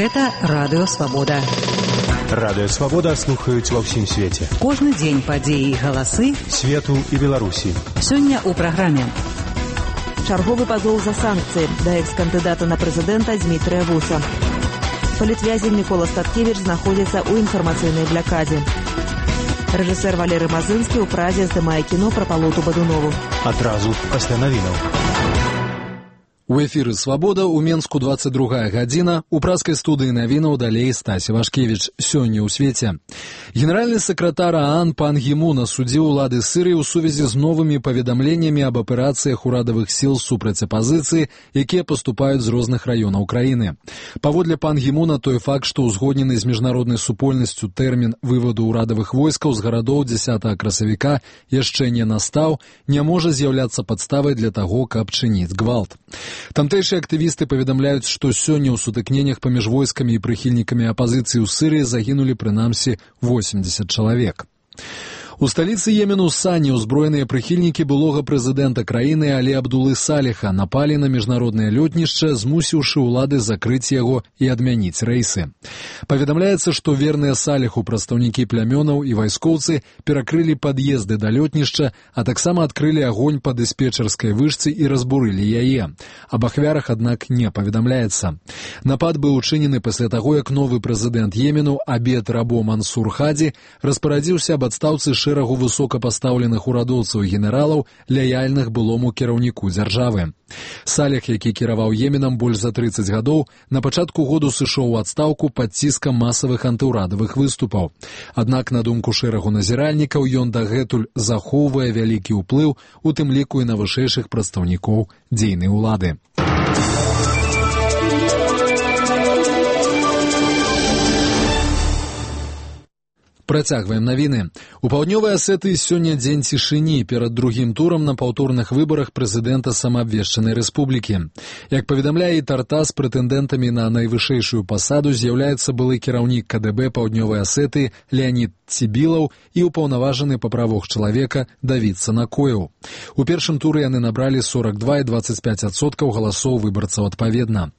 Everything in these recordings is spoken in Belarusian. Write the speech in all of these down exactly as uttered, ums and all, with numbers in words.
Гэта Радыё Свабода. Радыё Свабода слухаюць ва ўсім свеце. Кожны дзень падзеі і галасы свету і Беларусі. Сёння ў праграме. Чарговы пазоў за санкцыі да экс-кандыдата на прэзідэнта Дзмітрыя Вуса. Палітвязень Мікола Статкевіч знаходзіцца ў інфармацыйнай блякадзе. Рэжысэр Валерый Мазынскі ў Празе здымае кіно пра Палоту Бадунову. Адразу пасля навінаў. У эфіры «Свабода» у Менску двадцать другая гадзіна. У празкай студыі навінаў далей Стась Івашкевіч. Сёння ў свеце. Генеральны сакратар ААН Пан Гі Мун асудзіў улады Сірыі ў сувязі з новымі паведамленнямі аб аперацыях урадавых сіл супраць апазіцыі, якія паступаюць з розных раёнаў краіны. Паводле Пан Гі Муна, той факт, што ўзгоднены з міжнароднай супольнасцю тэрмін вываду ўрадавых войскаў з гарадоў дзясятага красавіка яшчэ не настаў, не можа з'яўляцца падставай для таго, каб чыніць гвалт. Тамтэйшыя актывісты паведамляюць, што сёння ў сутыкненнях паміж войскамі і прыхільнікамі апазіцыі ў Сірыі загінулі прынамсі восемьдесят чалавек. У сталіцы Йемену Сані ўзброеныя прыхільнікі былога прэзідэнта краіны Алі Абдулы Саліха напалі на міжнароднае лётнішча, змусіўшы ўлады закрыць яго і адмяніць рэйсы. Паведамляецца, што верныя Саліху прадстаўнікі плямёнаў і вайскоўцы перакрылі пад'езды да лётнішча, а таксама адкрылі агонь па дыспетчарскай вышцы і разбурылі яе. Аб ахвярах, аднак, не паведамляецца. Напад быў учынены пасля таго, як новы прэзідэнт Йемену Абед Рабо Мансур Хадзі распарадзіўся аб адстаўцы шэрагу высокапастаўленых урадоўцаў і генералаў, лаяльных былому кіраўніку дзяржавы. Саліх, які кіраваў Йеменам больш за трыццаць гадоў, на пачатку году сышоў у адстаўку пад ціскам масавых антыўрадавых выступаў. Аднак, на думку шэрагу назіральнікаў, ён дагэтуль захоўвае вялікі ўплыў, у тым ліку і на вышэйшых прадстаўнікоў дзейнай улады. Працягваем навіны. У паўднёвай Асетыі сёння дзень цішыні перад другім турам на паўторных выбарах прэзідэнта самаабвешчанай рэспублікі. Як паведамляе Тарта, з прэтэндэнтамі на найвышэйшую пасаду з'яўляецца былы кіраўнік ка дэ бэ паўднёвай Асетыі Леанід Цібілаў і ўпаўнаважаны па правах чалавека Давід Санакоеў. У першым туры яны набралі сорок два і двадцать пять адсоткаў галасоў выбарцаў адпаведна.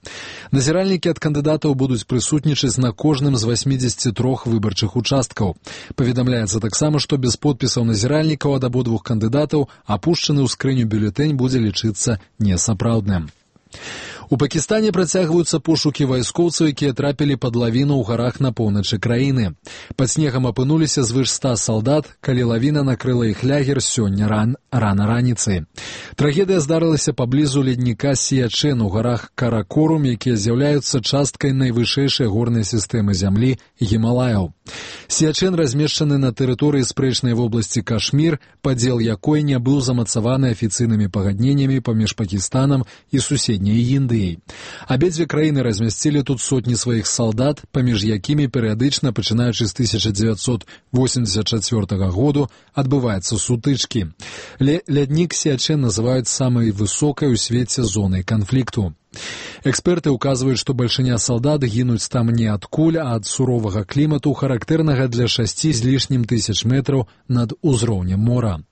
Назіральнікі ад кандыдатаў будуць прысутнічаць на кожным з восьмидесяти трёх выбарчых участкаў. Паведамляецца таксама, што без подпісаў назіральнікаў ад абодвух кандыдатаў апушчаны ў скрыню бюлетэнь будзе лічыцца несапраўдным. У Пакістане працягваюцца пошукі вайскоўцаў, якія трапілі пад лавіну ў гарах на поўначы краіны. Пад снегам апынуліся звыш ста салдат, калі лавіна накрыла іх лягер сёння ран, рана раніцай. Трагедыя здарылася паблізу ледніка Сіячэн у гарах Каракорум, якія з'яўляюцца часткай найвышэйшай горнай сістэмы зямлі Гімалаяў. Сіячэн размешчаны на тэрыторыі спрэчнай вобласці Кашмір, падзел якой не быў замацаваны афіцыйнымі пагадненнямі паміж Пакістанам і суседняй Індыяй. Абедзве краіны размясцілі тут сотні сваіх салдат, паміж якімі перыядычна, пачынаючы з тысяча дзевяцьсот восемьдесят чацвёртага году, адбываюцца сутычкі. Ляднік Сіячэн называюць самай высокай у свеце зонай канфлікту. Эксперты ўказваюць, што бальшыня салдат гінуць там не ад куль, а ад суровага клімату, характэрнага для шасці з лішнім тысяч метраў над узроўнем мора.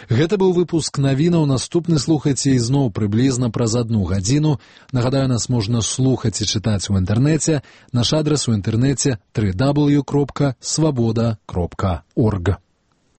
Гэта быў выпуск навінаў. Наступны слухайце ізноў прыблізна праз адну гадзіну. Нагадаю, нас можна слухаць і чытаць у інтэрнэце. Наш адрас у інтэрнэце дабл ю дабл ю дабл ю кропка свабода кропка орг.